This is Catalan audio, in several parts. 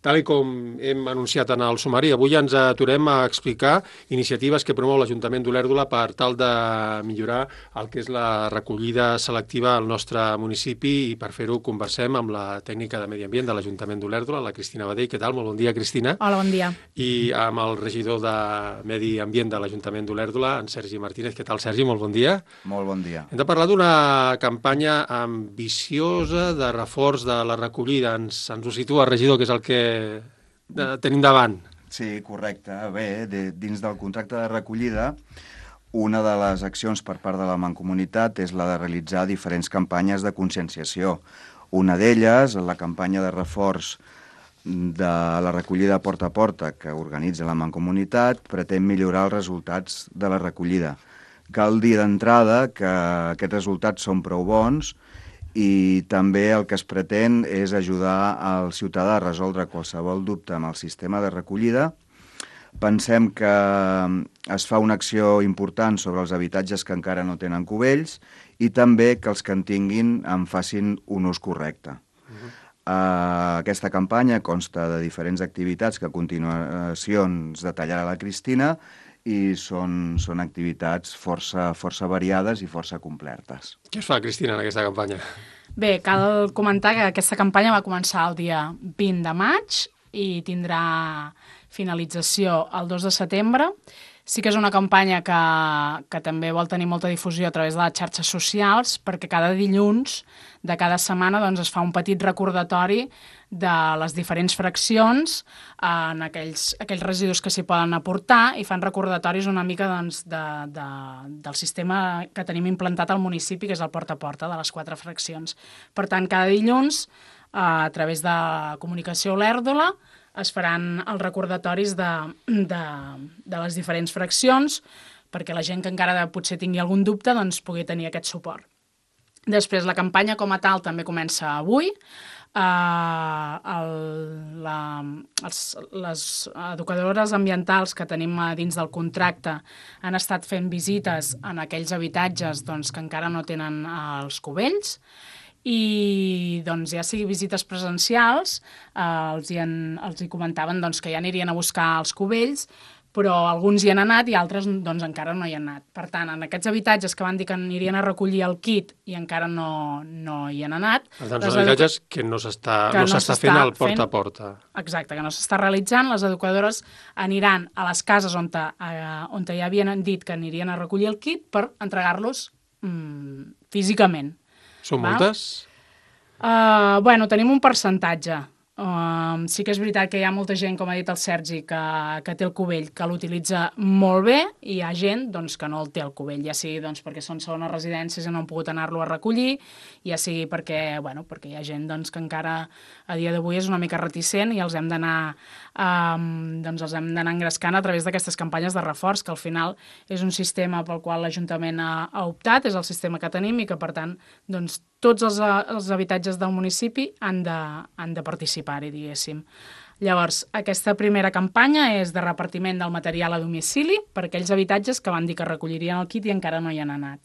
Tal com hem anunciat en el sumari, avui ens aturem a explicar iniciatives que promou l'Ajuntament d'Olèrdola per tal de millorar el que és la recollida selectiva al nostre municipi, i per fer-ho conversem amb la tècnica de Medi Ambient de l'Ajuntament d'Olèrdola, la Cristina Badell. Què tal? Molt bon dia, Cristina. Hola, bon dia. I amb el regidor de Medi Ambient de l'Ajuntament d'Olèrdola, en Sergi Martínez. Què tal, Sergi? Molt bon dia. Molt bon dia. Hem de parlar d'una campanya ambiciosa de reforç de la recollida. Ens ho situa, regidor, que és el que tenim davant. Sí, correcte. Bé, dins del contracte de recollida, una de les accions per part de la Mancomunitat és la de realitzar diferents campanyes de conscienciació. Una d'elles, la campanya de reforç de la recollida porta a porta que organitza la Mancomunitat, pretén millorar els resultats de la recollida. Cal dir d'entrada que aquests resultats són prou bons i també el que es pretén és ajudar al ciutadà a resoldre qualsevol dubte amb el sistema de recollida. Pensem que es fa una acció important sobre els habitatges que encara no tenen cubells i també que els que en tinguin en facin un ús correcte. Aquesta campanya consta de diferents activitats que a continuació ens detallarà la Cristina i són activitats força variades i força completes. Què es fa, Cristina, en aquesta campanya? Bé, cal comentar que aquesta campanya va començar el dia 20 de maig i tindrà finalització el 2 de setembre. Sí que és una campanya que també vol tenir molta difusió a través de les xarxes socials, perquè cada dilluns de cada setmana doncs, es fa un petit recordatori de les diferents fraccions en aquells residus que s'hi poden aportar, i fan recordatoris una mica doncs, del sistema que tenim implantat al municipi, que és el porta a porta de les 4 fraccions. Per tant, cada dilluns, a través de Comunicació Olèrdola, es faran els recordatoris de les diferents fraccions perquè la gent que encara potser tingui algun dubte doncs, pugui tenir aquest suport. Després, la campanya com a tal també comença avui. Les educadores ambientals que tenim dins del contracte han estat fent visites en aquells habitatges doncs, que encara no tenen els cubells, i doncs, ja sigui visites presencials, els hi comentaven doncs, que ja anirien a buscar els cubells, però alguns hi han anat i altres doncs, encara no hi han anat. Per tant, en aquests habitatges que van dir que anirien a recollir el kit i encara no hi han anat... Per tant, són habitatges que no s'està fent al porta a porta. Exacte, que no s'està realitzant. Les educadores aniran a les cases on ja havien dit que anirien a recollir el kit per entregar-los físicament. Són moltes? Bueno, tenim un percentatge. Sí que és veritat que hi ha molta gent, com ha dit el Sergi, que té el cubell, que l'utilitza molt bé, i hi ha gent doncs, que no el té el cubell, ja sigui doncs, perquè són segones residències i no han pogut anar-lo a recollir, ja sigui perquè hi ha gent doncs, que encara a dia d'avui és una mica reticent i els hem d'anar engrescant a través d'aquestes campanyes de reforç, que al final és un sistema pel qual l'Ajuntament ha optat, és el sistema que tenim i que, per tant, doncs, tots els habitatges del municipi han de participar-hi, diguéssim. Llavors, aquesta primera campanya és de repartiment del material a domicili per aquells habitatges que van dir que recollirien el kit i encara no hi han anat.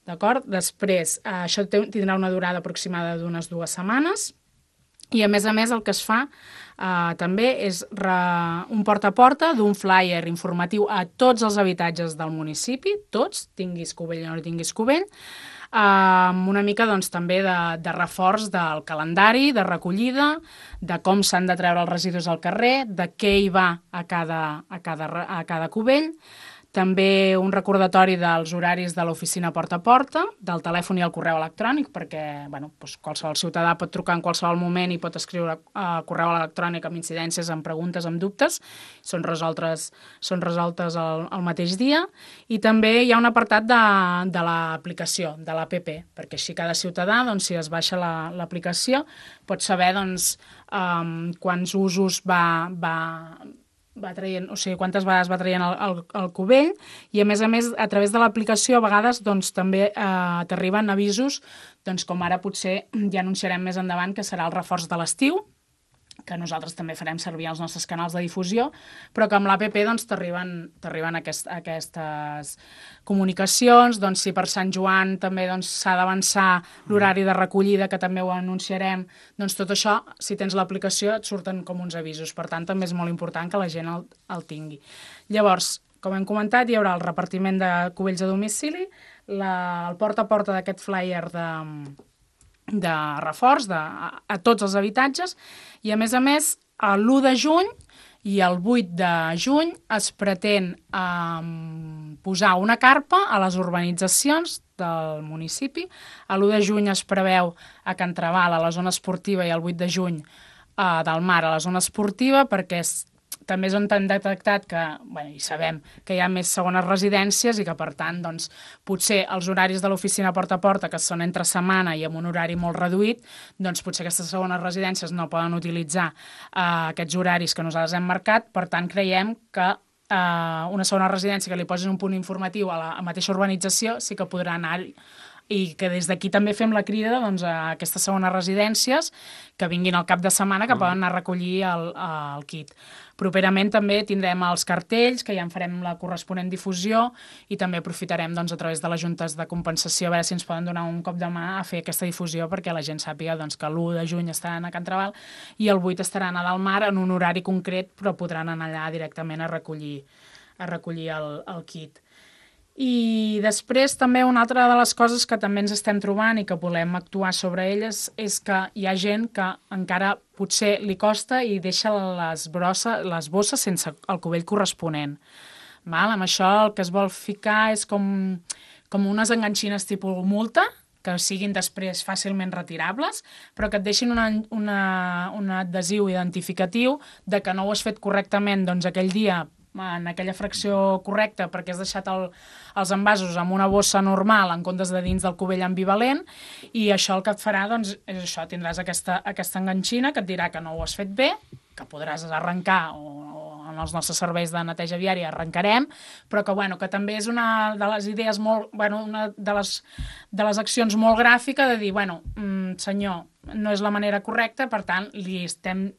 D'acord? Després, això tindrà una durada aproximada d'unes 2 setmanes, i a més el que es fa també és un porta a porta d'un flyer informatiu a tots els habitatges del municipi, tots, tinguis cubell o no tinguis cubell, una mica doncs, també de reforç del calendari, de recollida, de com s'han de treure els residus al carrer, de què hi va a cada cubell, també un recordatori dels horaris de l'oficina porta a porta, del telèfon i el correu electrònic, perquè doncs qualsevol ciutadà pot trucar en qualsevol moment i pot escriure correu electrònic amb incidències, amb preguntes, amb dubtes, són resoltes el mateix dia. I també hi ha un apartat de l'aplicació, de l'APP, perquè així cada ciutadà, doncs, si es baixa l'aplicació, pot saber doncs, quants usos va traient, o sigui, quantes vegades va traient el cubell, i a més, a través de l'aplicació, a vegades doncs, també t'arriben avisos, doncs, com ara potser ja anunciarem més endavant que serà el reforç de l'estiu, que nosaltres també farem servir els nostres canals de difusió, però que amb l'APP doncs, t'arriben aquestes comunicacions, doncs, si per Sant Joan també doncs, s'ha d'avançar l'horari de recollida, que també ho anunciarem, doncs tot això, si tens l'aplicació, et surten com uns avisos. Per tant, també és molt important que la gent el tingui. Llavors, com hem comentat, hi haurà el repartiment de cubells a domicili, el porta a porta d'aquest flyer de reforç a tots els habitatges i, a més, l'1 de juny i el 8 de juny es pretén posar una carpa a les urbanitzacions del municipi. L'1 de juny es preveu a Can Traval, a la zona esportiva, i el 8 de juny del Mar, a la zona esportiva, perquè també és on han detectat que, i sabem que hi ha més segones residències i que, per tant, doncs, potser els horaris de l'oficina porta a porta, que són entre setmana i amb un horari molt reduït, doncs potser aquestes segones residències no poden utilitzar aquests horaris que nosaltres hem marcat. Per tant, creiem que una segona residència que li posin un punt informatiu a la mateixa urbanització sí que podrà anar-hi, i que des d'aquí també fem la crida doncs, a aquestes segones residències que vinguin al cap de setmana, que poden anar a recollir el kit. Properament també tindrem els cartells, que ja en farem la corresponent difusió, i també aprofitarem doncs, a través de les juntes de compensació a veure si ens poden donar un cop de mà a fer aquesta difusió perquè la gent sàpiga doncs, que l'1 de juny estaran a Can Traval i el 8 estaran a Delmar en un horari concret, però podran anar allà directament a recollir el kit. I després també una altra de les coses que també ens estem trobant i que volem actuar sobre elles és que hi ha gent que encara potser li costa i deixa les bosses sense el cubell corresponent. Amb això el que es vol ficar és com unes enganxines tipus multa, que siguin després fàcilment retirables, però que et deixin un adhesiu identificatiu de que no ho has fet correctament doncs, aquell dia en aquella fracció correcta perquè has deixat els envasos amb una bossa normal en comptes de dins del cubell ambivalent, i això el que et farà doncs, és això, tindràs aquesta enganxina que et dirà que no ho has fet bé, que podràs arrencar o en els nostres serveis de neteja viària arrencarem, però que també és una de les idees una de les accions molt gràfica de dir, senyor, no és la manera correcta, per tant, li estem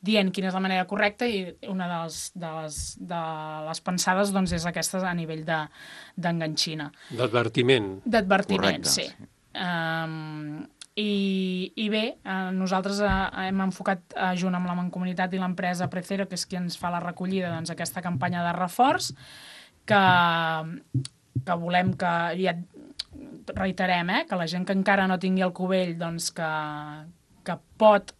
dient quina és la manera correcta, i una de les pensades doncs, és aquesta a nivell d'enganxina. D'advertiment. D'advertiment, sí. I bé, nosaltres hem enfocat junt amb la Mancomunitat i l'empresa Precero, que és qui ens fa la recollida, doncs, aquesta campanya de reforç que volem que ja reiterem, que la gent que encara no tingui el cubell doncs, que pot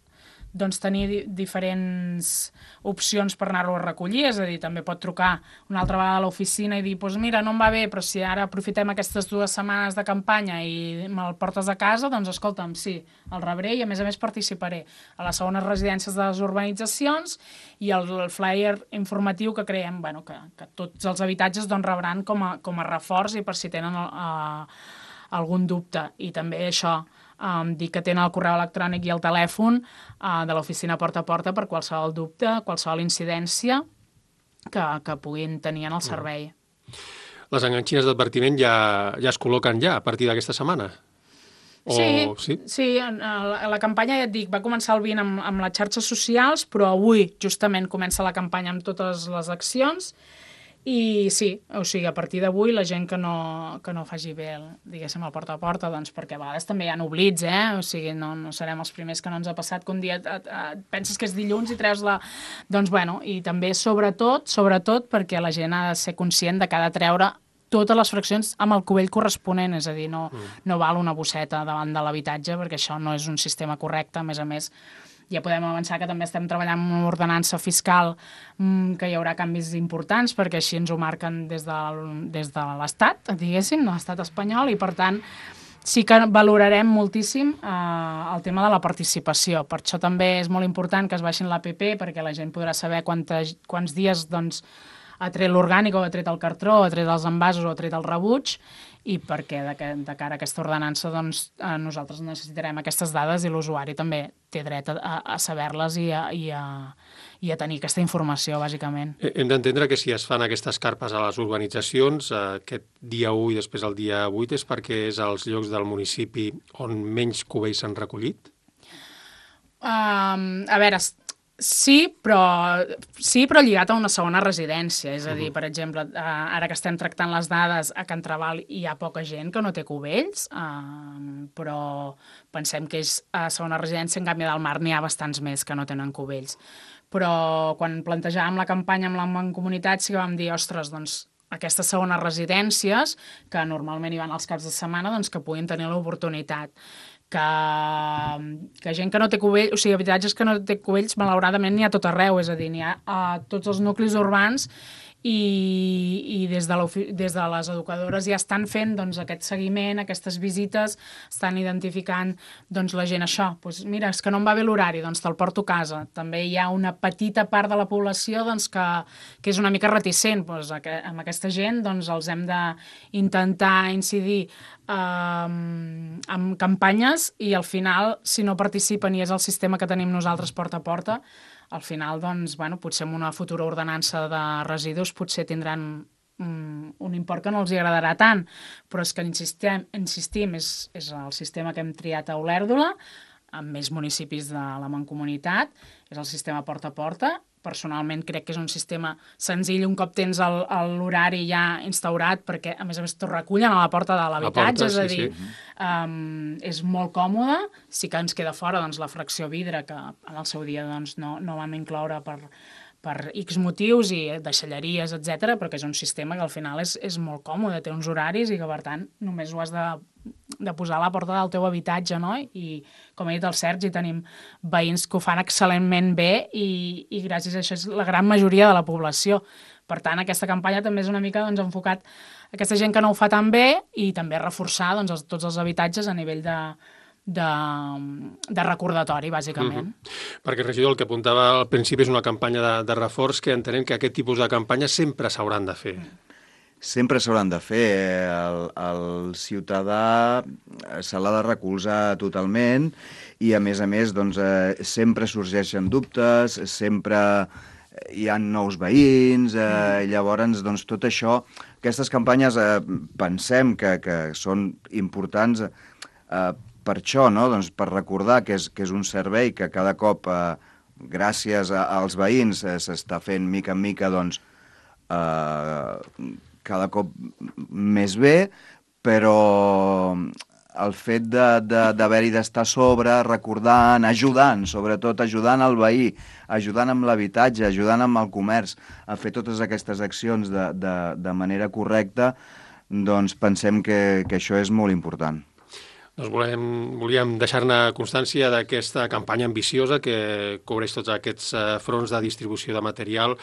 doncs, tenir diferents opcions per anar-lo a recollir, és a dir, també pot trucar una altra vegada a l'oficina i dir, doncs mira, no em va bé, però si ara aprofitem aquestes 2 setmanes de campanya i me'l portes a casa, doncs escolta'm, sí, el rebré i a més participaré a les segones residències de les urbanitzacions, i el flyer informatiu que creiem que tots els habitatges doncs, rebran com a reforç i per si tenen algun dubte. I també això, dir que tenen el correu electrònic i el telèfon de l'oficina porta a porta per qualsevol dubte, qualsevol incidència que puguin tenir en el servei. Les enganxines d'advertiment ja es col·loquen a partir d'aquesta setmana? Sí, la campanya, ja et dic, va començar el 20 amb les xarxes socials, però avui justament comença la campanya amb totes les accions. I sí, o sigui, a partir d'avui la gent que no faci bé, diguéssim, el porta a porta, doncs perquè a vegades també hi ha oblits, o sigui, no serem els primers que no ens ha passat que un dia penses que és dilluns i treus la... Doncs i també sobretot perquè la gent ha de ser conscient de que ha de treure totes les fraccions amb el cubell corresponent, és a dir, no val una bosseta davant de l'habitatge perquè això no és un sistema correcte. A més, ja podem avançar que també estem treballant amb una ordenança fiscal que hi haurà canvis importants perquè així ens ho marquen des de l'Estat, diguéssim, l'Estat espanyol, i per tant sí que valorarem moltíssim el tema de la participació. Per això també és molt important que es baixin l'APP perquè la gent podrà saber quants dies doncs, ha tret l'orgànic o ha tret el cartró, ha tret els envasos o ha tret el rebuig, i perquè de cara a aquesta ordenança doncs, nosaltres necessitarem aquestes dades i l'usuari també té dret a saber-les i a tenir aquesta informació, bàsicament. Hem d'entendre que si es fan aquestes carpes a les urbanitzacions, aquest dia 1 i després el dia 8, és perquè és als llocs del municipi on menys cubells s'han recollit? A veure, sí, però lligat a una segona residència. És a dir, per exemple, ara que estem tractant les dades, a Can Trabal hi ha poca gent que no té cubells, però pensem que és a segona residència, en canvi del Mar n'hi ha bastants més que no tenen cubells. Però quan plantejàvem la campanya amb la Mancomunitat sí que vam dir, ostres, doncs aquestes segones residències, que normalment hi van als caps de setmana, doncs que puguin tenir l'oportunitat. Que gent que no té cubells, o sigui, habitatges que no té cubells, malauradament n'hi ha tot arreu, és a dir, n'hi ha a tots els nuclis urbans i des de les educadores ja estan fent doncs, aquest seguiment, aquestes visites, estan identificant doncs, la gent això. Doncs, mira, és que no em va bé l'horari, doncs te'l porto a casa. També hi ha una petita part de la població doncs, que és una mica reticent. Doncs, amb aquesta gent doncs, els hem d'intentar incidir amb campanyes i al final, si no participen i és el sistema que tenim nosaltres porta a porta, al final, doncs, bueno, potser amb una futura ordenança de residus potser tindran un import que no els agradarà tant, però és que insistim, és el sistema que hem triat a Olèrdola, amb més municipis de la Mancomunitat, és el sistema porta a porta. Personalment crec que és un sistema senzill un cop tens l'horari ja instaurat, perquè a més t'ho recullen a la porta de l'habitatge, és a dir, és molt còmode. Sí que ens queda fora doncs, la fracció vidre, que en el seu dia doncs, no vam incloure per X motius i deixalleries, etc, però que és un sistema que al final és molt còmode, té uns horaris i que per tant només ho has de posar a la porta del teu habitatge, no? I com ha dit el Sergi, tenim veïns que ho fan excel·lentment bé i gràcies a això és la gran majoria de la població. Per tant, aquesta campanya també és una mica doncs, enfocat a aquesta gent que no ho fa tan bé i també reforçar doncs, tots els habitatges a nivell de recordatori, bàsicament. Perquè, regidor, el que apuntava al principi és una campanya de reforç que entenem que aquest tipus de campanyes sempre s'hauran de fer. Sempre s'hauran de fer. El ciutadà se l'ha de recolzar totalment i, a més, doncs, sempre sorgeixen dubtes, sempre hi ha nous veïns, llavors, doncs, tot això, aquestes campanyes pensem que són importants per això, no? Doncs per recordar que és un servei que cada cop, gràcies als veïns, s'està fent mica en mica, doncs, cada cop més bé, però el fet d'haver-hi d'estar a sobre, recordant, ajudant, sobretot ajudant el veí, ajudant amb l'habitatge, ajudant amb el comerç, a fer totes aquestes accions de manera correcta, doncs pensem que això és molt important. Doncs volíem deixar-ne constància d'aquesta campanya ambiciosa que cobreix tots aquests fronts de distribució de material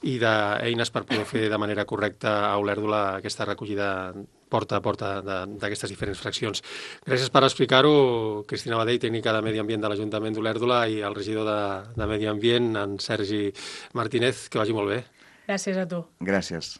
i d'eines per poder fer de manera correcta a Olèrdola aquesta recollida porta a porta d'aquestes diferents fraccions. Gràcies per explicar-ho, Cristina Badell, tècnica de Medi Ambient de l'Ajuntament d'Olèrdola, i el regidor de Medi Ambient, en Sergi Martínez. Que vagi molt bé. Gràcies a tu. Gràcies.